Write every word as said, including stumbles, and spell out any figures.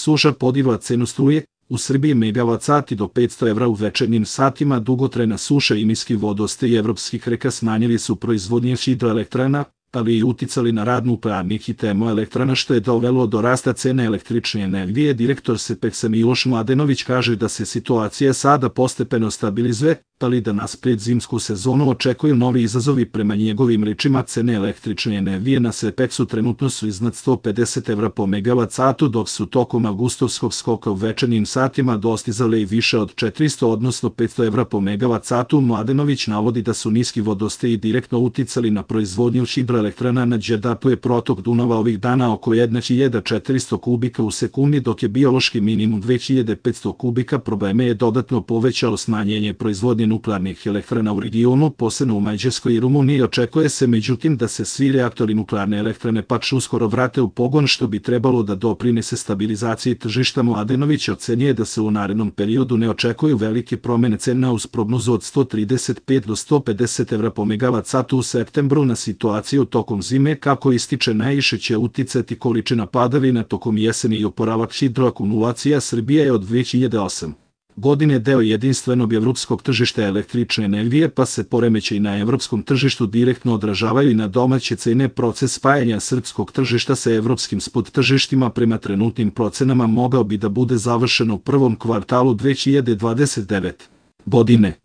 Suša podigla cenu struje, u Srbiji megavat sati do petsto evra u večernjim satima. Dugotrajna suša i niski vodostaj evropskih reka smanjili su proizvodnje hidroelektrana, ali i uticali na rad nuklearnih i termoelektrana, što je dovelo do rasta cene električne energije. Direktor Sepeksa Miloš Mladenović kaže da se situacija sada postepeno stabilizuje, ali da nas pred zimsku sezonu očekuju novi izazovi. Prema njegovim rečima, cene električne energije na Sepeksu trenutno su iznad sto pedeset evra po megavat satu, dok su tokom avgustovskog skoka u večernjim satima dostizale i više od četiristo, odnosno petsto evra po megavat satu. Mladenović navodi da su niski vodostaji direktno uticali na proizvodnju hidroelektrana. Na Đerdapu je protok Dunava ovih dana oko hiljadu četiristo kubika u sekundi, dok je biološki minimum dve hiljade petsto kubika. Probleme je dodatno povećalo smanjenje proizvodnje nuklearnih elektrana u regionu, posebno u Mađarskoj i Rumuniji. Očekuje se međutim da se svi reaktori nuklearne elektrane Pač uskoro vrate u pogon, što bi trebalo da doprinese stabilizaciji tržišta. Mladenović ocenjuje da se u narednom periodu ne očekuju velike promene cena uz prognozu od sto trideset pet do sto pedeset evra po megavat satu u septembru. Na situaciju tokom zime, kako ističe, najviše će uticati količina padavina tokom jeseni i oporavak hidroakumulacija. Srbija je od dve hiljade osme godine deo jedinstvenog evropskog tržišta električne energije, pa se poremećaji na evropskom tržištu direktno odražavaju i na domaće cene. Proces spajanja srpskog tržišta sa evropskim spot tržištima prema trenutnim procenama mogao bi da bude završen u prvom kvartalu dve hiljade dvadeset devete godine.